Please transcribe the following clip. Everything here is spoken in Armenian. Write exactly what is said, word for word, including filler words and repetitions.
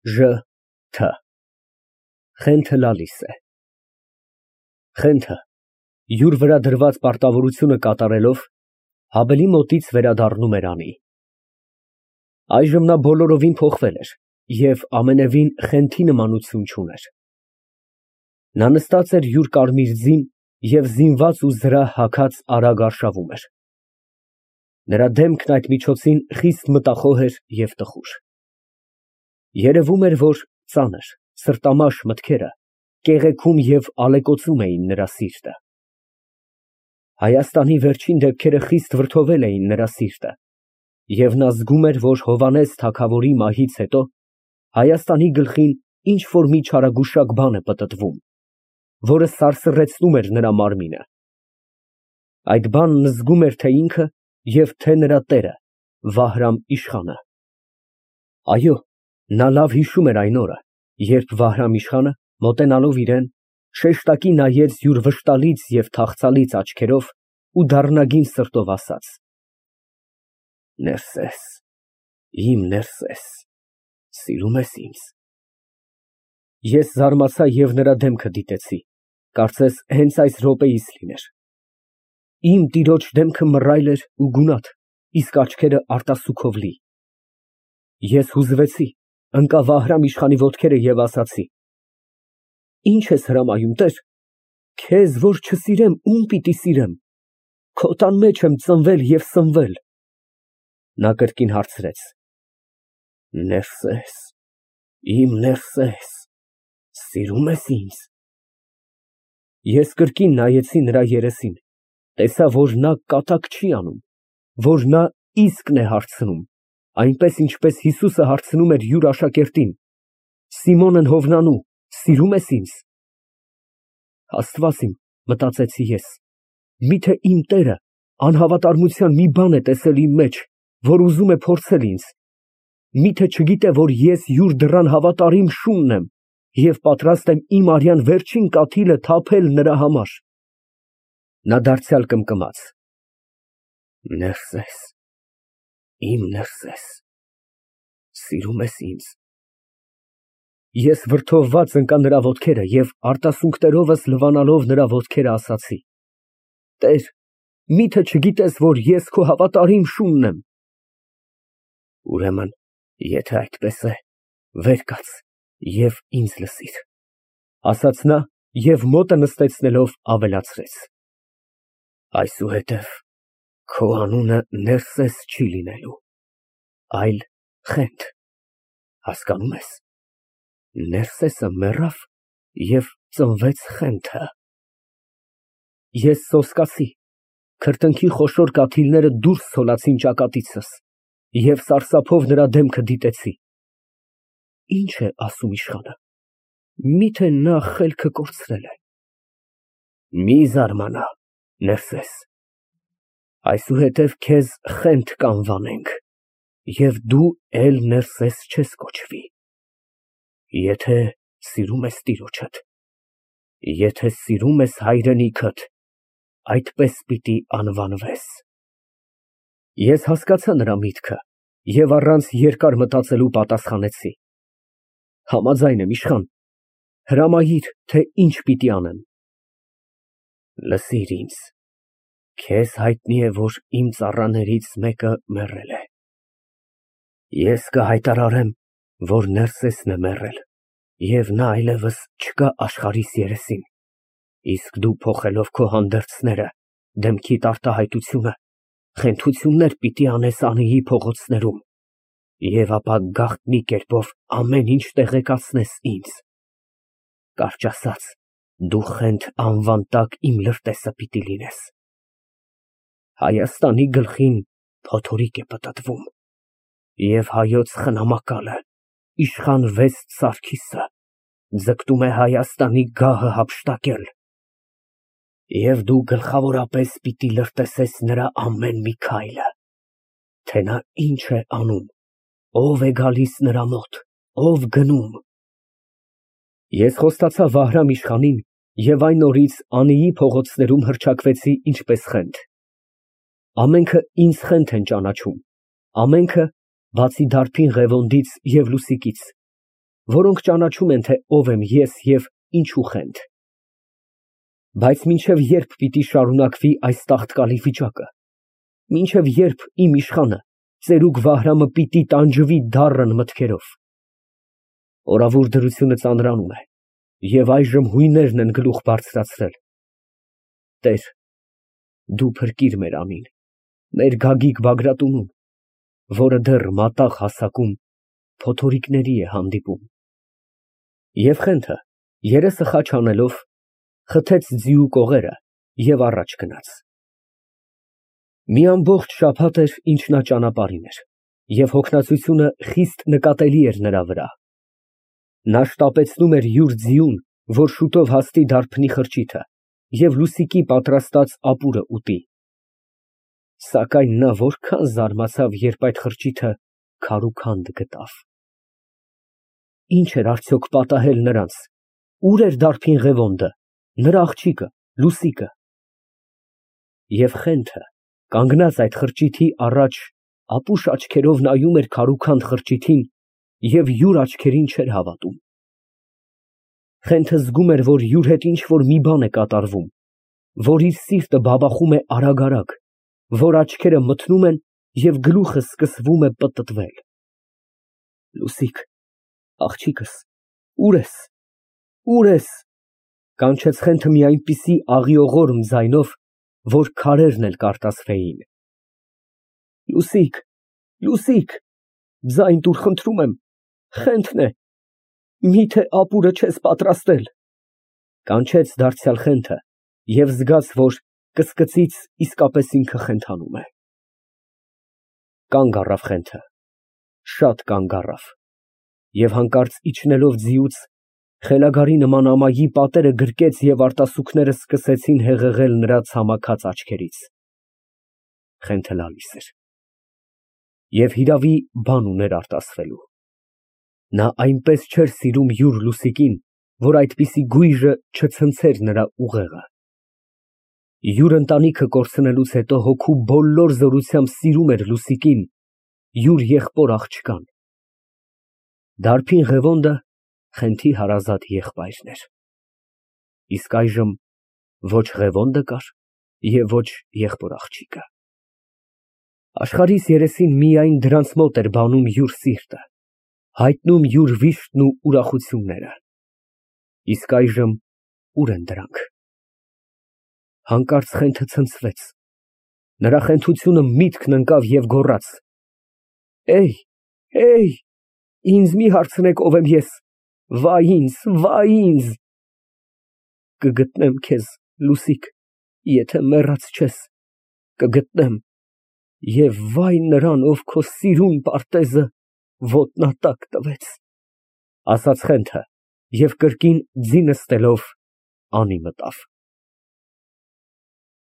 Ժ Թ Խենթը լալիս է։ Խենթը յուր վրա դրված պարտավորությունը կատարելով հավելի մոտից վերադառնում էր Անի։ Այժմ նա բոլորովին փոխվել էր և ամենևին Խենթի նմանություն չուներ։ Նա նստած էր յուր կարմիր ձին և զինված ու զրահ հագած արագ արշավում էր։ Նրա դեմքն այդ միջոցին խիստ մտախոհ էր և տխուր։ Երևում էր, որ ծանր, սրտամաշ մտքերը կեղեքում և ալեկոծում էին նրա սիրտը։ Հայաստանի վերջին դեպքերը խիստ վրդովել էին նրա սիրտը, և նա զգում էր, որ Հովհաննես թագավորի մահից հետո Հայաստանի գլխին ինչ֊որ մի չարագուշակ բան է պտտվում, որը սարսռեցնում էր նրա մարմինը։ Այդ բանն զգում էր թե ինքը և թե նրա տերը Վահրամ֊իշխանը։ Այո, նա լավ հիշում էր այն օրը, երբ Վահրամ֊իշխանը, մոտենալով իրան, շեշտակի նայեց յուր վշտալից և թախծալից աչքերով ու դառնագին սրտով ասաց. Ներսես, իմ Ներսես, սիրո՞ւմ ես ինձ։ Ես զարմացա և նրա դեմքը դիտեցի, կարծես հենց այս րոպեիս լիներ։ Իմ տիրոջ դեմքը մռայլ էր ու գունատ, իսկ աչքերը արտասուքով լի։ Ես հուզվեցի, ընկա Վահրամ֊իշխանի ոտքերը և ասացի. Ի՞նչ ես հրամայում, տեր, քեզ որ չսիրեմ, ո՞ւմ պիտի սիրեմ, քո տան մեջ եմ ծնվել և սնվել։ Նա կրկին հարցրեց. Ներսես, իմ Ներսես, սիրո՞ւմ ես ինձ։ Ես կրկին նայեցի նրա երեսին, տեսա, որ նա կատակ չի անում, որ նա իսկն է հարցնում, այնպես, ինչպես Հիսուսը հարցնում էր յուր աշակերտին. Սիմոնն Հովնանու, սիրո՞ւմ ես ինձ։ Աստված իմ, մտածեցի ես, միթե իմ տերը անհավատարմության մի բան է տեսել իմ մեջ, որ ուզում է փորձել ինձ, միթե չգիտե, որ ես յուր դռան հավատարիմ շունն եմ և պատրաստ եմ իմ արյան վերջին կաթիլը թափել նրա համար։ Նա դարձյալ կմկմաց. Ներսես, իմ Ներսես, սիրո՞ւմ ես ինձ։ Ես վրդովված ընկա նրա ոտքերը և արտասունքներովս լվանալով նրա ոտքերը ասացի. Տեր, միթե չգիտես, որ ես քո հավատարիմ շունն եմ։ Ուրեմն, եթե այդպես է, վեր կաց և ինձ լսիր, ասաց նա և մոտը նստեցնելով ավելացրեց. Այսուհետև քո անունը Ներսես չի լինելու, այլ Խենթ, հասկանո՞ւմ ես, Ներսեսը մեռավ և ծնվեց Խենթը։ Ես սոսկացի, քրտինքի խոշոր կաթիլները դուրս ցոլացին ճակատիցս և սարսափով նրա դեմքը դիտեցի։ Ի՞նչ է ասում իշխանը, միթե նա խելքը կորցրել է։ Մի զարմանա, Ներսես, այսուհետև քեզ Խենթ կանվանենք և դու էլ Ներսես չես կոչվի։ Եթե սիրում ես տիրոջդ, եթե սիրում ես հայրենիքդ, այդպես պիտի անվանվես։ Ես հասկացա նրա միտքը և առանց երկար մտածելու պատասխանեցի. Համաձայն եմ, իշխան, հրամայիր, թե ինչ պիտի անեմ։ Լսիր ինձ, քեզ հայտնի է, որ իմ ծառաներից մեկը մեռել է։ Ես կհայտարարեմ, որ Ներսեսն է մեռել, և նա այլևս չկա աշխարհիս երեսին, իսկ դու փոխելով քո հանդերձները, դեմքիդ արտահայտությունը, խենթություններ պիտի անես Անիի փողոցներում, և ապա գաղտնի կերպով ամեն ինչ տեղեկացնես ինձ։ Կարճ ասած, դու Խենթ անվան տակ իմ լրտեսը պիտի լինես։ Հայաստանի գլխին փոթորիկ է պտտվում, և հայոց խնամակալը, իշխան Վեստ Սարգիսը, ձգտում է Հայաստանի գահը հափշտակել, և դու գլխավորապես պիտի լրտեսես նրա ամեն մի քայլը, թե նա ինչ է անում, ով է գալիս նրա մոտ, ով գնում։ Ես խոստացա Վահրամ֊իշխանին և այն օրից Անիի փողոցներում հռչակվեցի ինչպես Խենթ։ Ամենքը ինձ Խենթ են ճանաչում, ամենքը, բացի դարբին Ղևոնդից և Լուսիկից, որոնք ճանաչում են, թե ով եմ ես և ինչու խենթ։ Բայց մինչև ե՞րբ պիտի շարունակվի այս տաղտկալի վիճակը, մինչև ե՞րբ իմ իշխանը, ծերուկ Վահրամը պիտի տանջվի դառն մտքերով։ Օրավուր դրությունը ծանրանում է, և այժմ հույներն են գլուխ բարձրացրել։ Տեր, դու փրկիր մեր անին, մեր Գագիկ Բագրատունուն, որը դեռ մատաղ հասակում փոթորիկների է հանդիպում։ Եվ խենթը, երեսը խաչ անելով, խթեց ձիու կողերը և առաջ գնաց։ Մի ամբողջ շաբաթ էր, ինչ նա ճանապարհին էր, և հոգնածությունը խիստ նկատելի էր նրա վրա։ Նա շտապեցնում էր յուր ձիուն, որ շուտով հասնի դարբնի խրճիթը և Լուսիկի պատրաստած ապուրը ուտի։ Սակայն նա որքան զարմացավ, երբ այդ խրճիթը քարուքանդ գտավ։ Ի՞նչ էր արդյոք պատահել նրանց, ուր էր դարբին Ղևոնդը, նրա աղջիկը, Լուսիկը։ Եվ խենթը, կանգնած այդ խրճիթի առաջ, ապուշ աչքերով նայում էր քարուքանդ խրճիթին և յուր աչքերին չէր հավատում։ Խենթը զգում էր, որ յուր հետ ինչ֊որ մի բան է կատարվում, որ իր սիրտը բաբախում է արագ֊արագ, որ աչքերը մթնում են և գլուխը սկսվում է պտտվել։ Լուսիկ, աղջիկս, ո՞ւր ես, ո՞ւր ես, կանչեց խենթը մի այնպիսի աղիողորմ ձայնով, որ քարերն էլ կարտասվեին։ Լուսիկ, Լուսիկ, ձայն տուր, խնդրում եմ, խենթն է, մի՞թե ապուրը չես պատրաստել, կանչեց դարձյալ խենթը և զգաց, որ կսկծից իսկապես ինքը խենթանում է։ Կանգ առավ խենթը, շատ կանգ առավ, և հանկարծ իջնելով ձիուց, խելագարի նման ամայի պատերը գրկեց և արտասուքները սկսեցին հեղեղել նրա ցամաքած աչքերից։ Խենթը լալիս էր։ Եվ հիրավի, բան ուներ արտասվելու։ Նա այնպես չէր սիրում յուր Լուսիկին, որ այդպիսի գույժը չցնցեր նրա ուղեղը։ Յուր ընտանիքը կորցնելուց հետո հոգու բոլոր զորությամբ սիրում էր Լուսիկին, յուր եղբոր աղջկան։ Դարբին Ղևոնդը խենթի հարազատ եղբայրն էր։ Իսկ այժմ ոչ Ղևոնդը կար և ոչ եղբոր աղջիկը։ Աշխարհիս երեսին միայն դրանց մոտ էր բանում յուր սիրտը, հայտնում յուր վիշտն ու ուրախությունները։ Իսկ այժմ ո՞ւր են դրանք։ Հանկարծ խենթը ցնցվեց, նրա խենթությունը միտքն ընկավ և գոռաց. «Էյ, էյ, ինձ մի հարցնեք ով եմ ես, վայ ինձ, վայ ինձ»։ Կգտնեմ քեզ, Լուսիկ, եթե մեռած չես, կգտնեմ, և վայ նրան, ով քո սիրուն պարտեզը ոտնատակ տվեց, ասաց խենթը և կրկին ձի նստելով անի մտավ։